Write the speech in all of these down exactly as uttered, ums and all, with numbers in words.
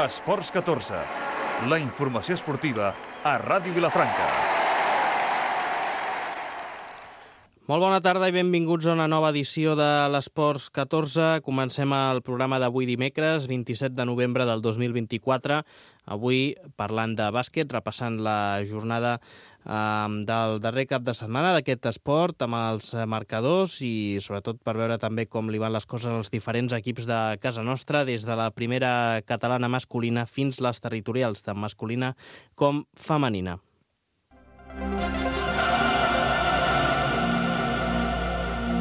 Esports catorze, la informació esportiva a Ràdio Vilafranca. Molt bona tarda i benvinguts a una nova edició de l'Esports catorze. Comencem el programa d'avui dimecres, vint-i-set de novembre del dos mil vint-i-quatre. Avui parlant de bàsquet, repassant la jornada eh, del darrer cap de setmana d'aquest esport amb els marcadors i sobretot per veure també com li van les coses als diferents equips de casa nostra, des de la primera catalana masculina fins les territorials, tant masculina com femenina.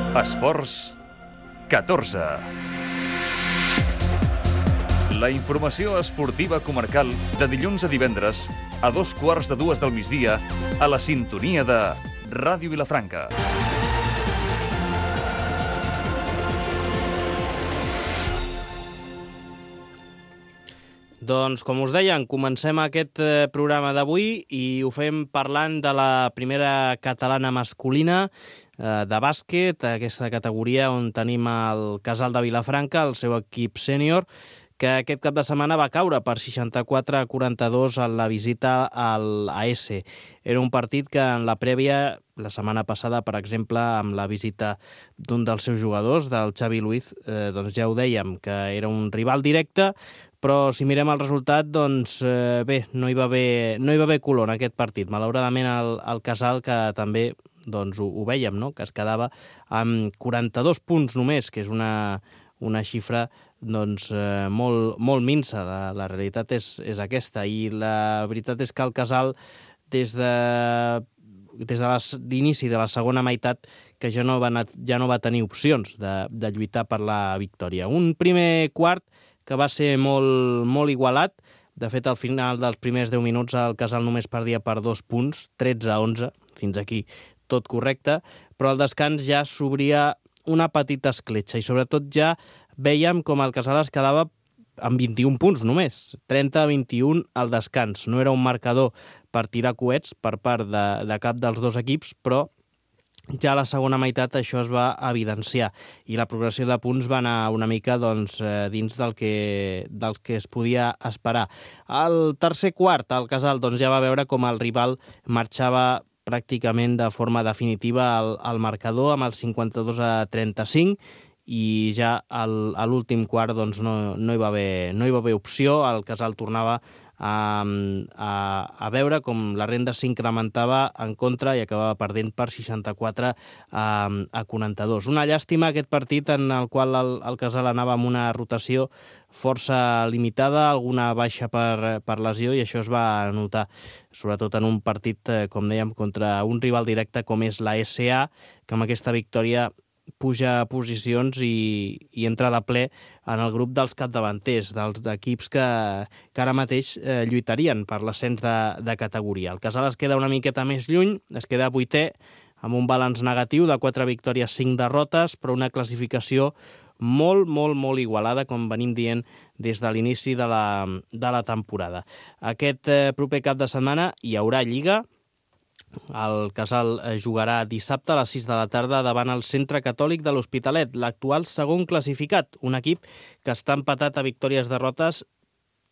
Esports catorze. La informació esportiva comarcal de dilluns a divendres a dos quarts de dues del migdia a la sintonia de Ràdio Vilafranca. Doncs, com us deien, comencem aquest programa d'avui i ho fem parlant de la primera catalana masculina de bàsquet, aquesta categoria on tenim el Casal de Vilafranca, el seu equip sènior, que aquest cap de setmana va caure per seixanta-quatre a quaranta-dos en la visita al A S. Era un partit que en la prèvia, la setmana passada, per exemple, amb la visita d'un dels seus jugadors, del Xavi Luiz, eh, doncs ja ho dèiem, que era un rival directe, però si mirem el resultat, doncs eh, bé, no hi va haver, no hi va haver color en aquest partit. Malauradament el, el Casal, que també doncs, ho, ho vèiem, no? Que es quedava amb quaranta-dos punts només, que és una, una xifra doncs, eh, molt, molt minsa. La, la realitat és, és aquesta, i la veritat és que el Casal, des de des de l'inici de la segona meitat, que ja no va, ja no va tenir opcions de, de lluitar per la victòria. Un primer quart que va ser molt, molt igualat. De fet, al final dels primers deu minuts el Casal només perdia per dos punts, tretze a onze, fins aquí tot correcte, però al descans ja s'obria una petita escletxa i sobretot ja vèiem com el Casal es quedava amb vint-i-un punts només, trenta a vint-i-un al descans. No era un marcador per tirar coets per part de, de cap dels dos equips, però ja a la segona meitat això es va evidenciar i la progressió de punts va anar una mica doncs, dins del que, dels que es podia esperar. Al tercer quart, el Casal doncs, ja va veure com el rival marxava pràcticament de forma definitiva al, al marcador amb el cinquanta-dos a trenta-cinc i ja al, a l'últim quart doncs, no, no, hi va haver, no hi va haver opció. El Casal tornava a, a, a veure com la renda s'incrementava en contra i acabava perdent per seixanta-quatre a, a quaranta-dos. Una llàstima aquest partit en el qual el, el Casal anava amb una rotació força limitada, alguna baixa per, per lesió, i això es va notar sobretot en un partit, com dèiem, contra un rival directe com és la S A, que amb aquesta victòria puja a posicions i, i entra de ple en el grup dels capdavanters, dels equips que, que ara mateix eh, lluitarien per l'ascens de, de categoria. El Casal es queda una miqueta més lluny, es queda vuitè, amb un balanç negatiu de quatre victòries, cinc derrotes, però una classificació molt, molt, molt igualada, com venim dient des de l'inici de la, de la temporada. Aquest eh, proper cap de setmana hi haurà Lliga. El Casal jugarà dissabte a les sis de la tarda davant el Centre Catòlic de l'Hospitalet, l'actual segon classificat, un equip que està empatat a victòries-derrotes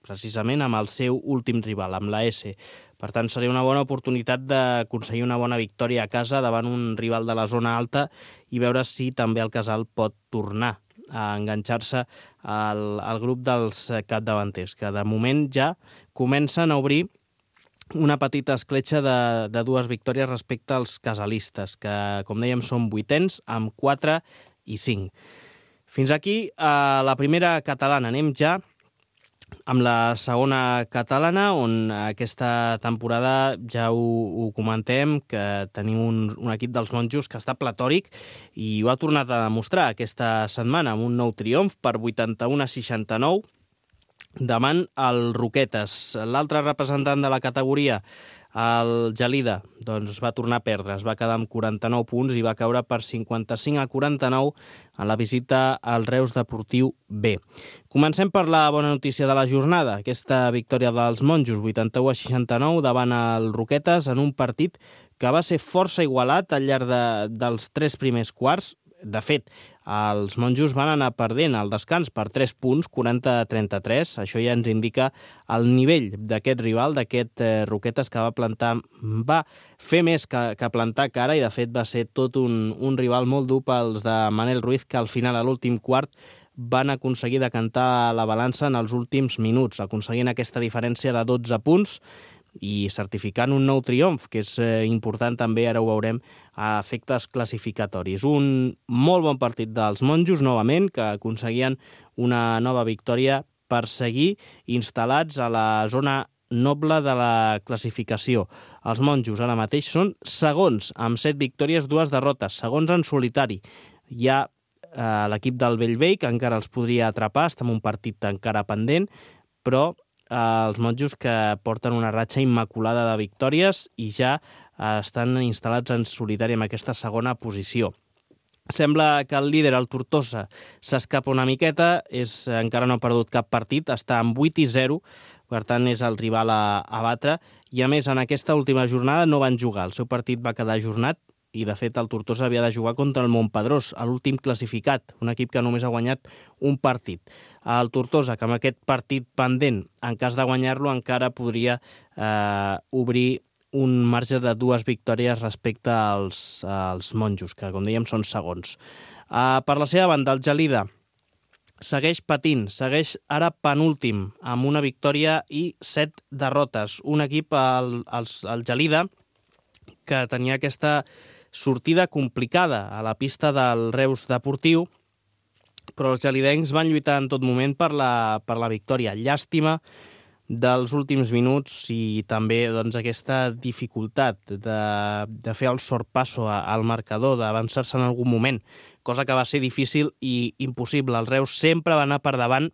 precisament amb el seu últim rival, amb la S. Per tant, seria una bona oportunitat d'aconseguir una bona victòria a casa davant un rival de la zona alta i veure si també el Casal pot tornar a enganxar-se al, al grup dels capdavanters, que de moment ja comencen a obrir una petita escletxa de, de dues victòries respecte als casalistes, que, com dèiem, són vuitens amb quatre i cinc. Fins aquí a la primera catalana. Anem ja amb la segona catalana, on aquesta temporada ja ho, ho comentem, que tenim un, un equip dels monjos que està platòric i ho ha tornat a demostrar aquesta setmana amb un nou triomf per vuitanta-u a seixanta-nou davant el Roquetes. L'altre representant de la categoria, el Gelida, doncs va tornar a perdre, es va quedar amb quaranta-nou punts i va caure per cinquanta-cinc a quaranta-nou en la visita al Reus Deportiu B. Comencem per la bona notícia de la jornada, aquesta victòria dels monjos, vuitanta-u a seixanta-nou davant el Roquetes, en un partit que va ser força igualat al llarg de, dels tres primers quarts. De fet, Els monjos van anar perdent al descans per tres punts, quaranta a trenta-tres. Això ja ens indica el nivell d'aquest rival, d'aquest eh, Roquetes, que va plantar, va fer més que, que plantar cara, i de fet va ser tot un, un rival molt dur pels de Manel Ruiz, que al final, a l'últim quart, van aconseguir decantar la balança en els últims minuts, aconseguint aquesta diferència de dotze punts, i certificant un nou triomf, que és eh, important també, ara ho veurem, a efectes classificatoris. Un molt bon partit dels monjos, novament, que aconseguien una nova victòria per seguir instal·lats a la zona noble de la classificació. Els monjos ara mateix són segons, amb set victòries, dues derrotes, segons en solitari. Hi ha eh, l'equip del Bellvei, que encara els podria atrapar, està en un partit encara pendent, però els monjos que porten una ratxa immaculada de victòries i ja estan instal·lats en solitari en aquesta segona posició. Sembla que el líder, el Tortosa, s'escapa una miqueta, és, encara no ha perdut cap partit, està amb vuit i zero, per tant és el rival a, a batre, i a més en aquesta última jornada no van jugar, el seu partit va quedar ajornat, i de fet el Tortosa havia de jugar contra el Montpedrós, l'últim classificat, un equip que només ha guanyat un partit. El Tortosa, que amb aquest partit pendent, en cas de guanyar-lo, encara podria eh, obrir un marge de dues victòries respecte als, als monjos, que com dèiem són segons. Eh, per la seva banda, el Gelida segueix patint, segueix ara penúltim, amb una victòria i set derrotes. Un equip, el, el, el Gelida, que tenia aquesta sortida complicada a la pista del Reus Deportiu, però els gelidencs van lluitar en tot moment per la, per la victòria. Llàstima dels últims minuts i també doncs, aquesta dificultat de, de fer el sorpasso al marcador, d'avançar-se en algun moment, cosa que va ser difícil i impossible. El Reus sempre va anar per davant,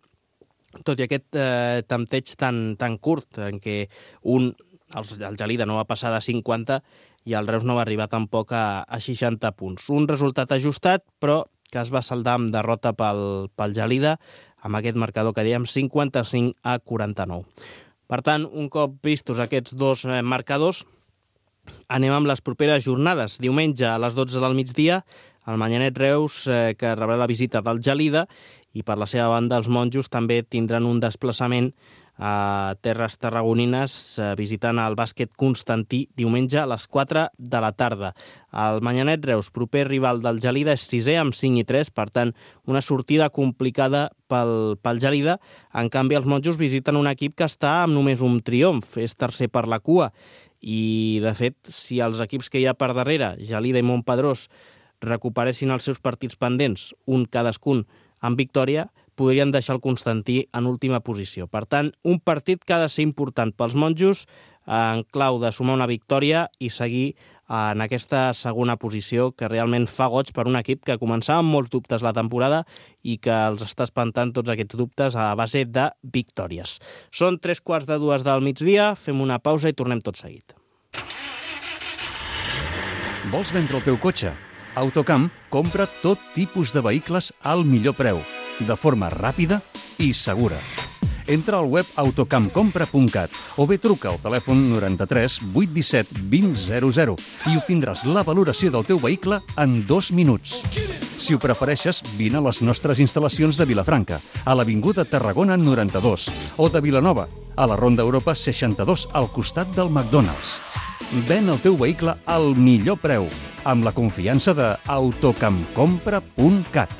tot i aquest eh, tempteig tan, tan curt, en què un, el, el Gelida no va passar de cinquanta i el Reus no va arribar tampoc a, a seixanta punts. Un resultat ajustat, però que es va saldar amb derrota pel, pel Gelida, amb aquest marcador que dèiem cinquanta-cinc a quaranta-nou. Per tant, un cop vistos aquests dos eh, marcadors, anem amb les properes jornades. Diumenge a les dotze del migdia, el Manyanet Reus, eh, que rebrà la visita del Gelida, i per la seva banda els monjos també tindran un desplaçament a terres tarragonines, eh, visitant el bàsquet Constantí diumenge a les quatre de la tarda. El Manyanet Reus, proper rival del Gelida, és sisè amb cinc i tres, per tant, una sortida complicada pel, pel Gelida. En canvi, els monjos visiten un equip que està amb només un triomf, és tercer per la cua, i, de fet, si els equips que hi ha per darrere, Gelida i Montpedrós, recuperessin els seus partits pendents, un cadascun amb victòria, podrien deixar el Constantí en última posició. Per tant, un partit que ha de ser important pels monjos en clau de sumar una victòria i seguir en aquesta segona posició que realment fa goig per un equip que començava amb molts dubtes la temporada i que els està espantant tots aquests dubtes a base de victòries. Són tres quarts de dues del migdia, fem una pausa i tornem tot seguit. Vols vendre el teu cotxe? Autocamp compra tot tipus de vehicles al millor preu, de forma ràpida i segura. Entra al web autocamp compra punt cat o bé truca al telèfon noranta-tres vuit disset vint zero zero i obtindràs la valoració del teu vehicle en dos minuts. Si ho prefereixes, vine a les nostres instal·lacions de Vilafranca, a l'Avinguda Tarragona noranta-dos, o de Vilanova, a la Ronda Europa seixanta-dos, al costat del McDonald's. Ven el teu vehicle al millor preu, amb la confiança de autocamp compra punt cat.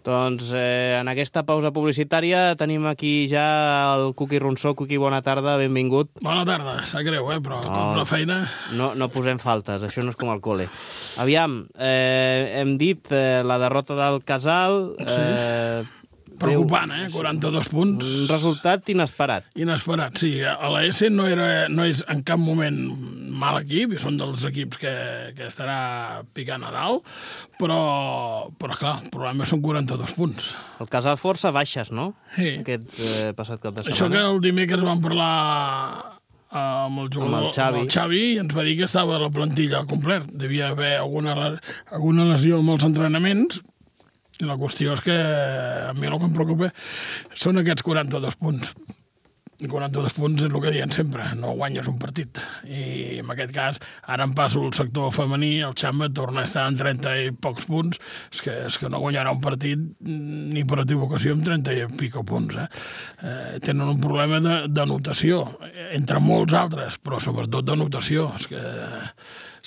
Doncs eh, en aquesta pausa publicitària tenim aquí ja el Cuqui Ronsó. Cuqui, bona tarda, benvingut. Bona tarda, sap greu, eh? però no, com la feina... No, no posem faltes, això no és com al col·le. Aviam, eh, hem dit eh, la derrota del Casal... Sí. Eh, Preocupant, eh? quaranta-dos punts. Un resultat inesperat. Inesperat, sí. A la S no, era, no és en cap moment mal equip, i són dels equips que, que estarà picant a dalt, però, però clar, el problema són quaranta-dos punts. El Casal força baixes, no? Sí. Aquest eh, passat cap de setmana. Això que el dimecres vam parlar amb el jugador, amb el Xavi. amb el Xavi, i ens va dir que estava la plantilla completa. Devia haver alguna, alguna lesió amb els entrenaments. La qüestió és que a mi el que em preocupa són aquests quaranta-dos punts. quaranta-dos punts és el que diuen sempre, no guanyes un partit. I en aquest cas, ara em passo el sector femení, el Xamba torna a estar en trenta i pocs punts, és que, és que no guanyarà un partit ni per equivocació amb trenta i pico punts. Eh? Eh, tenen un problema d'anotació, entre molts altres, però sobretot d'anotació. És que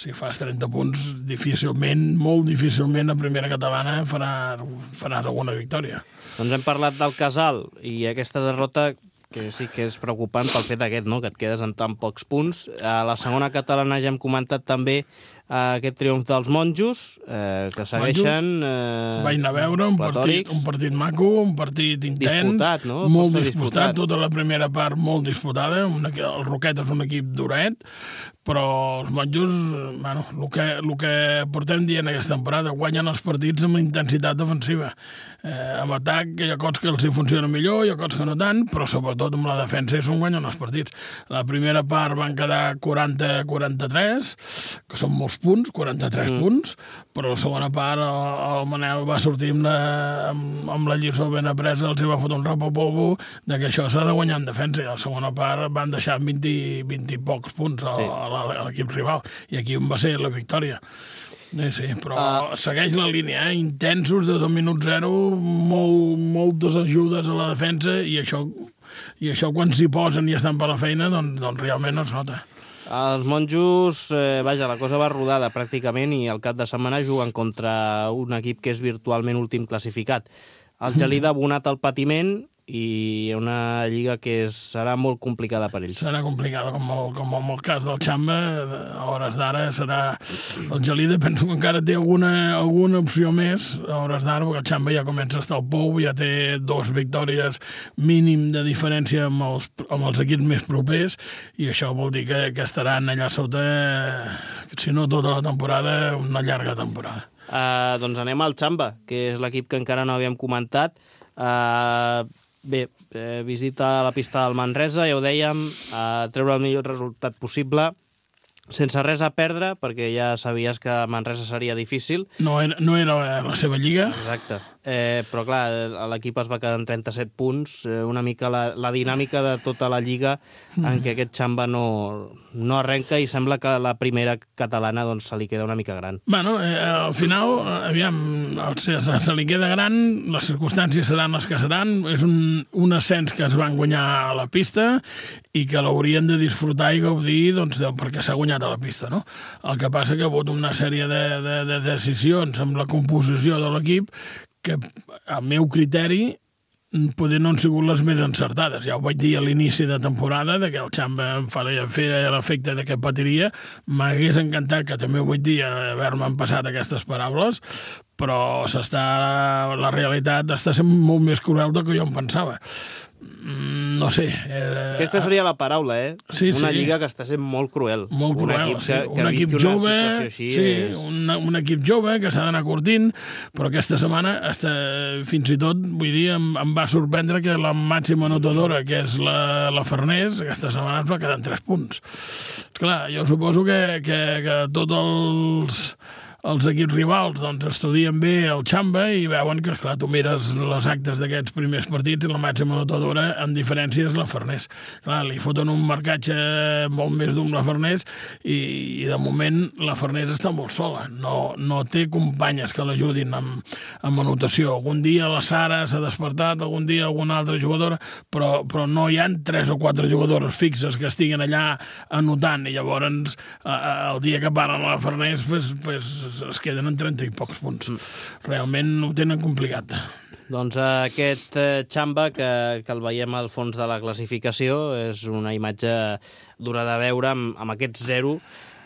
si fas trenta punts, difícilment, molt difícilment, a primera catalana faràs, faràs alguna victòria. Doncs hem parlat del Casal i aquesta derrota que sí que és preocupant pel fet aquest, no?, que et quedes en tan pocs punts. A la segona catalana ja hem comentat també eh, aquest triomf dels monjos, eh, que segueixen... Eh, Vaig anar a veure un partit, un partit maco, un partit intens, disputat, no? molt disputat, disputat, tota la primera part molt disputada. Una, el Roquet és un equip duret, però els monjos, bueno, el que, el que portem dient aquesta temporada, guanyen els partits amb intensitat defensiva. Eh, amb atac hi ha cops que els hi funciona millor, hi ha cops que no tant, però sobretot amb la defensa és on guanyen els partits. La primera part van quedar quaranta a quaranta-tres, que són molts punts, quaranta-tres mm. punts, però la segona part el, el Manel va sortir amb la, amb, amb la lliçó ben apresa, els hi va fotre un rap a polvo de que això s'ha de guanyar en defensa, i a la segona part van deixar vint, vint i pocs punts a, sí. a l'equip rival, i aquí on va ser la victòria. Sí, sí, però uh, segueix la línia, eh? Intensos des del minut zero, molt, moltes ajudes a la defensa, i això, i això quan s'hi posen i estan per la feina, doncs, doncs realment no es nota. Els monjos, eh, vaja, la cosa va rodada pràcticament, i al cap de setmana juguen contra un equip que és virtualment últim classificat. El Gelida ha abonat el patiment, i una lliga que és, serà molt complicada per ells. Serà complicada, com, el, com en el cas del Xamba, a hores d'ara serà... El Gelida penso que encara té alguna, alguna opció més a hores d'ara, perquè el Xamba ja comença a estar al pou, ja té dos victòries mínim de diferència amb els, amb els equips més propers, i això vol dir que, que estaran allà sota, si no tota la temporada, una llarga temporada. Uh, doncs anem al Xamba, que és l'equip que encara no havíem comentat. Uh, Bé, eh, visita la pista del Manresa, ja ho dèiem, a treure el millor resultat possible, sense res a perdre, perquè ja sabies que Manresa seria difícil. No era, no era la seva lliga. Exacte. Eh, però, clar, l'equip es va quedar en trenta-set punts, eh, una mica la, la dinàmica de tota la lliga mm. en què aquest Xamba no, no arrenca, i sembla que la primera catalana doncs, se li queda una mica gran. Bueno, eh, al final, aviam, se, se li queda gran, les circumstàncies seran les que seran, és un, un ascens que es van guanyar a la pista i que l'haurien de disfrutar i gaudir doncs, de, perquè s'ha guanyat a la pista, no? El que passa que ha hagut una sèrie de, de, de decisions amb la composició de l'equip que, al meu criteri, poder no han sigut les més encertades. Ja ho vaig dir a l'inici de temporada, de que el Xamba em faria fer l'efecte de que patiria. M'hagués encantat, que també ho vull dir, haver-me passat aquestes paraules, però s'està, la realitat està sent molt més cruel del que jo em pensava. No sé. Eh, Aquesta seria la paraula, eh? Sí, una sí. lliga que està sent molt cruel. Molt cruel, un equip sí. que, que un equip jove, així sí, és... un, un equip jove que s'ha d'anar curtint, però aquesta setmana, hasta, fins i tot, vull dir, em, em va sorprendre que la màxima anotadora, que és la, la Farners, aquesta setmana es va quedar en tres punts. Esclar, jo suposo que, que, que tots els... els equips rivals doncs, estudien bé el Xamba i veuen que, esclar, tu mires les actes d'aquests primers partits i la màxima anotadora, amb diferència, és la Farners. Clar, li foten un marcatge molt més dur amb la Farners i, i de moment la Farners està molt sola. No, no té companyes que l'ajudin amb, amb anotació. Algun dia la Sara s'ha despertat, algun dia alguna altra jugadora, però, però no hi ha tres o quatre jugadores fixes que estiguin allà anotant, i llavors el dia que paren a la Farners pues, pues, es queden en trenta i pocs punts. Realment ho tenen complicat. Doncs aquest Xamba, que, que el veiem al fons de la classificació, és una imatge dura de veure amb, amb aquest zero.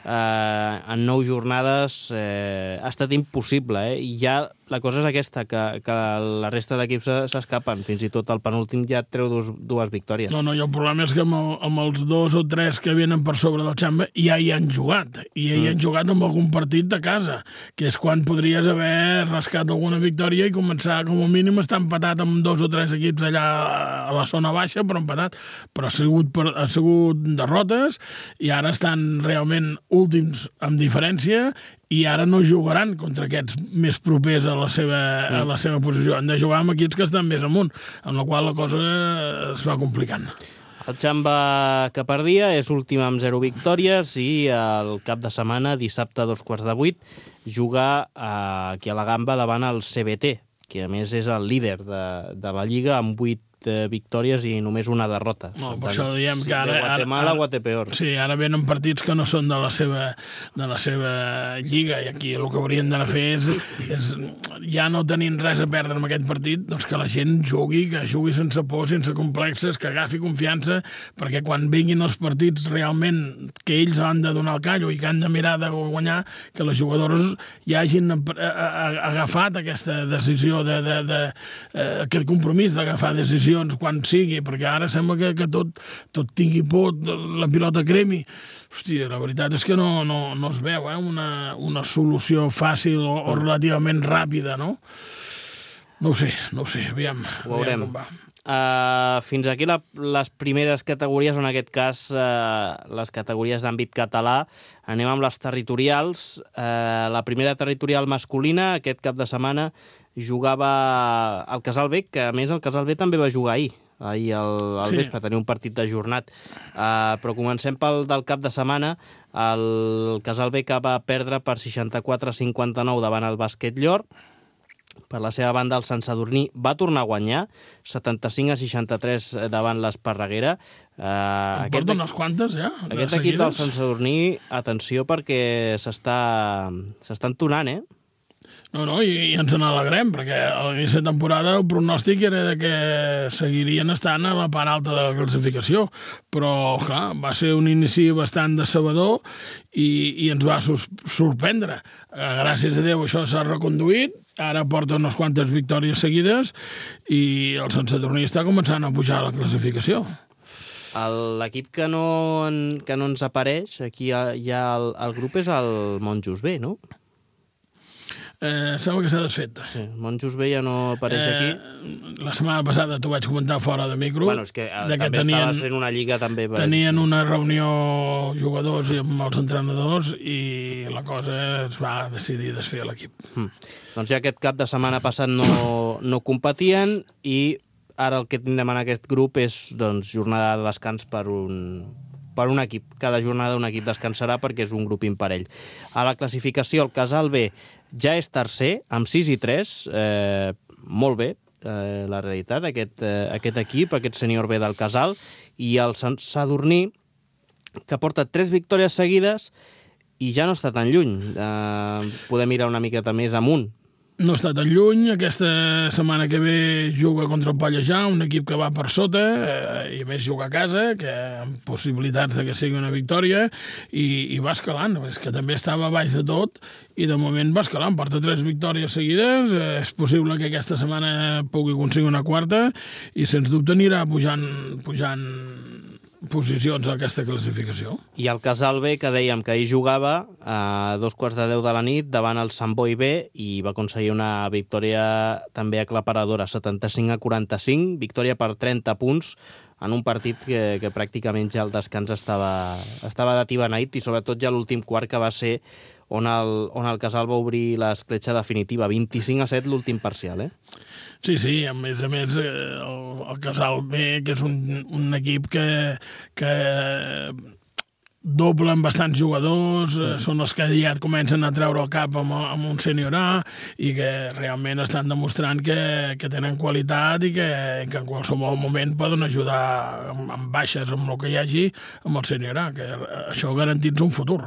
Eh, en nou jornades eh, ha estat impossible, eh? I ja la cosa és aquesta, que, que la resta d'equips s'escapen, fins i tot el penúltim ja treu dos, dues victòries. No, no, i el problema és que amb, el, amb els dos o tres que venen per sobre del Xamba ja hi han jugat, i ja hi han mm. jugat amb algun partit de casa, que és quan podries haver rascat alguna victòria i començar, com a mínim, estar empatat amb dos o tres equips allà a la zona baixa, però empatat, però ha sigut, per, ha sigut derrotes, i ara estan realment últims amb diferència, i ara no jugaran contra aquests més propers a la seva, a la seva posició. Han de jugar amb equips que estan més amunt, amb la qual la cosa es va complicant. El Xamba que perdia és últim amb zero victòries i el cap de setmana, dissabte a dos quarts de vuit, juga eh, aquí a la Gamba davant el C B T, que a més és el líder de, de la Lliga amb vuit eh, victòries i només una derrota. No, per això diem que ara... De Guatemala a Guatepeor. Sí, ara venen partits que no són de la seva, de la seva lliga i aquí el que haurien d'anar a fer és, és, ja no tenint res a perdre en aquest partit, doncs que la gent jugui, que jugui sense por, sense complexes, que agafi confiança, perquè quan vinguin els partits realment que ells han de donar el callo i que han de mirar de guanyar, que les jugadores ja hagin agafat aquesta decisió, de, de, de, de, aquest compromís d'agafar decisions quan sigui, perquè ara sembla que, que tot, tot tingui por, la pilota cremi. Hòstia, la veritat és que no, no, no es veu eh? una, una solució fàcil o, o relativament ràpida, no? No ho sé, no ho sé, aviam. Ho veurem. Aviam com va. Uh, fins aquí la, les primeres categories, en aquest cas uh, les categories d'àmbit català. Anem amb les territorials. Uh, la primera territorial masculina, aquest cap de setmana, jugava el Casal B, que a més el Casal B també va jugar ahir, ahir al, al sí. vespre, tenia un partit d'ajornat. Uh, però comencem pel del cap de setmana. El Casal B que va perdre per seixanta-quatre a cinquanta-nou davant el Bàsquet Llor. Per la seva banda, el Sant Sadurní va tornar a guanyar, setanta-cinc a seixanta-tres davant l'Esparreguera. Uh, aquest porta unes quantes, ja? Aquest equip del Sant Sadurní, atenció, perquè s'està s'està entonant, eh? No, no, i, i ens n'alegrem, perquè a l'inici de temporada el pronòstic era de que seguirien estant a la part alta de la classificació, però, clar, va ser un inici bastant decebedor i, i ens va sorprendre. Gràcies a Déu això s'ha reconduït, ara porta unes quantes victòries seguides i el Sant Sadurní està començant a pujar a la classificació. L'equip que, no, que no ens apareix, aquí hi ha el, el grup, és el Monjos B, no? Eh, sembla que s'ha desfet. Sí, Monjos B ja no apareix eh, aquí. La setmana passada t'ho vaig comentar fora de micro. Bueno, és que, eh, que també tenien, estava sent una lliga també... Per... Tenien una reunió jugadors i amb els entrenadors i la cosa es va decidir desfer l'equip. Mm. Doncs ja aquest cap de setmana passat no, no competien i ara el que tindrem en aquest grup és doncs, jornada de descans per un... per un equip. Cada jornada un equip descansarà perquè és un grup imparell. A la classificació, el Casal B ja és tercer, amb sis i tres. Eh, molt bé, eh, la realitat, aquest, eh, aquest equip, aquest sènior B del Casal. I el Sant Sadurní, que porta tres victòries seguides i ja no està tan lluny. Eh, podem mirar una miqueta més amunt. No està tan lluny. Aquesta setmana que ve juga contra el Pallejà, un equip que va per sota eh, i a més juga a casa, que amb possibilitats de que sigui una victòria, i, i va escalant. És que també estava baix de tot i de moment va escalant. Porta tres victòries seguides. Eh, és possible que aquesta setmana pugui aconseguir una quarta i sens dubte anirà pujant, pujant posicions a aquesta classificació. I el Casal B, que dèiem que ahir jugava a dos quarts de deu de la nit davant el Sant Boi B i va aconseguir una victòria també aclaparadora, setanta-cinc a quaranta-cinc, victòria per trenta punts en un partit que, que pràcticament ja el descans estava, estava d'atibeneït i sobretot ja l'últim quart, que va ser on el, on el Casal va obrir l'escletxa definitiva, vint-i-cinc a set l'últim parcial, eh? Sí, sí, a més a més el, el Casal B, que és un, un equip que, que doblen bastants jugadors, mm. són els que ja comencen a treure el cap amb, amb un sènior A i que realment estan demostrant que, que tenen qualitat i que, que en qualsevol moment poden ajudar amb, amb baixes, amb el que hi hagi, amb el sènior A, que això garantitza un futur.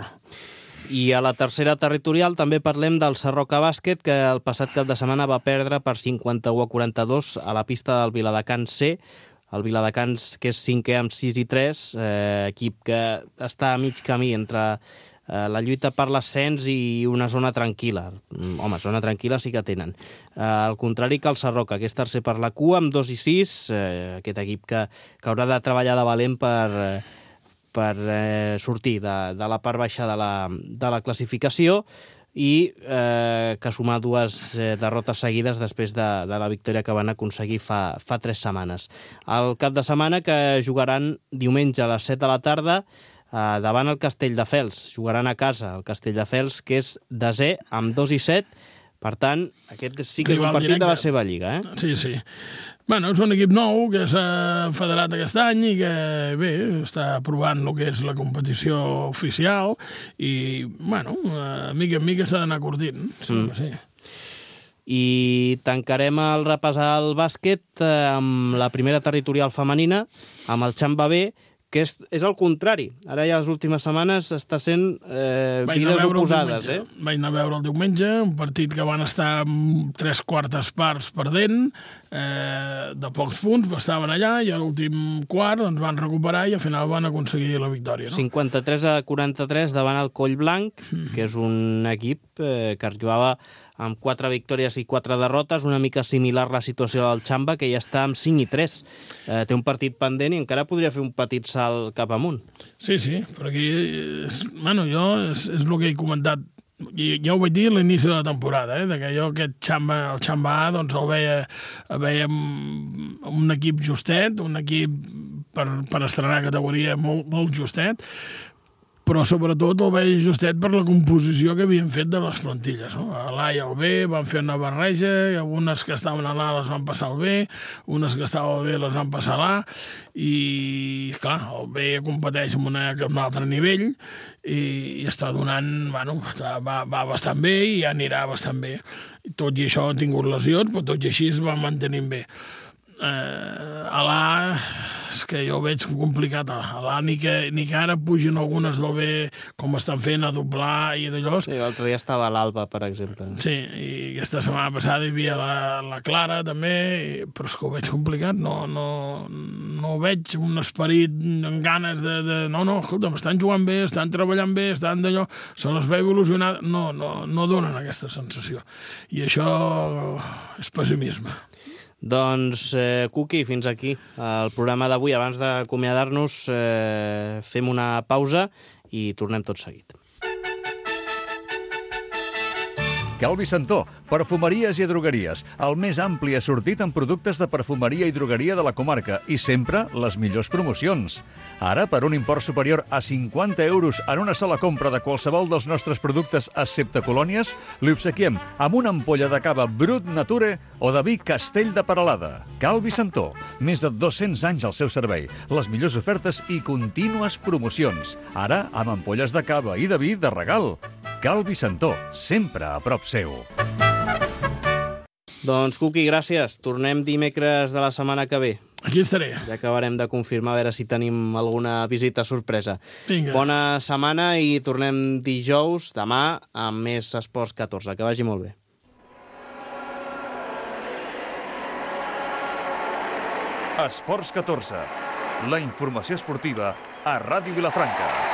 I a la tercera territorial també parlem del Sarroca Bàsquet, que el passat cap de setmana va perdre per cinquanta-u a quaranta-dos a la pista del Viladecans C. El Viladecans, que és cinquè amb sis i tres, eh, equip que està a mig camí entre eh, la lluita per l'ascens i una zona tranquil·la. Home, zona tranquil·la sí que tenen. Eh, al contrari que el Sarroca, que és tercer per la cua amb dos i sis, eh, aquest equip que, que haurà de treballar de valent per... Eh, per eh, sortir de, de la part baixa de la, de la classificació i eh, que sumar dues eh, derrotes seguides després de, de la victòria que van aconseguir fa, fa tres setmanes. El cap de setmana que jugaran diumenge a les set de la tarda eh, davant el Castelldefels. Jugaran a casa el Castelldefels, que és desè amb dos i set. Per tant, aquest sí que és un partit de la seva lliga, eh? Sí, sí. Bueno, és un equip nou que s'ha federat aquest any i que, bé, està provant el que és la competició oficial i, bueno, a mica en mica s'ha d'anar curtint. Sí, mm. sí. I tancarem el repassar el bàsquet amb la primera territorial femenina, amb el Xamba B, que és, és el contrari. Ara ja les últimes setmanes està sent eh, vides oposades. Eh? Vaig anar a veure el diumenge, un partit que van estar amb tres quartes parts perdent, eh, de pocs punts, estaven allà, i a l'últim quart doncs, van recuperar i al final van aconseguir la victòria. No? cinquanta-tres a quaranta-tres davant el Collblanc, mm. que és un equip eh, que arribava amb quatre victòries i quatre derrotes, una mica similar a la situació del Xamba, que ja està amb cinc i tres. Eh, té un partit pendent i encara podria fer un petit salt cap amunt. Sí, sí, però aquí, és, bueno, jo és, és el que he comentat, i ja ho vaig dir a l'inici de la temporada, eh, de que jo aquest Xamba, el Xamba A, doncs el veia, el veia un equip justet, un equip per, per estrenar categoria molt, molt justet, però sobretot el veig justet per la composició que havien fet de les plantilles. No? A l'A i al B van fer una barreja, i algunes que estaven a l'A les van passar al B, unes que estaven al B les van passar a l'A, i clar, el B competeix amb, una, amb un altre nivell i, i està donant, bueno, està, va, va bastant bé i ja anirà bastant bé. Tot i això ha tingut lesions, però tot i així es va mantenint bé. Eh, a l'A és que jo ho veig complicat. A l'A ni que, ni que ara pugin algunes del B com estan fent a doblar i d'allò. Sí, l'altre dia estava a l'Alba, per exemple. Sí, i aquesta setmana passada hi havia la, la Clara també, però és que ho veig complicat. No, no, no veig un esperit amb ganes de... de no, no, escolta, estan jugant bé, estan treballant bé, estan d'allò, se les veu il·lusionat. No, no, no donen aquesta sensació. I això és pessimisme. Doncs, eh, Cuqui, fins aquí el programa d'avui. Abans d'acomiadar-nos, eh, fem una pausa i tornem tot seguit. Calvi Santó, perfumeries i drogueries, el més ampli assortit en productes de perfumeria i drogueria de la comarca i sempre les millors promocions. Ara, per un import superior a cinquanta euros en una sola compra de qualsevol dels nostres productes excepte colònies, li obsequiem amb una ampolla de cava Brut Nature o de vi Castell de Peralada. Calvi Santó, més de dos-cents anys al seu servei, les millors ofertes i contínues promocions. Ara, amb ampolles de cava i de vi de regal. Calvi Santó, sempre a prop seu. Doncs, Cuqui, gràcies. Tornem dimecres de la setmana que ve. Aquí estaré. Ja acabarem de confirmar a veure si tenim alguna visita sorpresa. Vinga. Bona setmana i tornem dijous, demà, amb més Esports catorze. Que vagi molt bé. Esports catorze, la informació esportiva a Ràdio Vilafranca.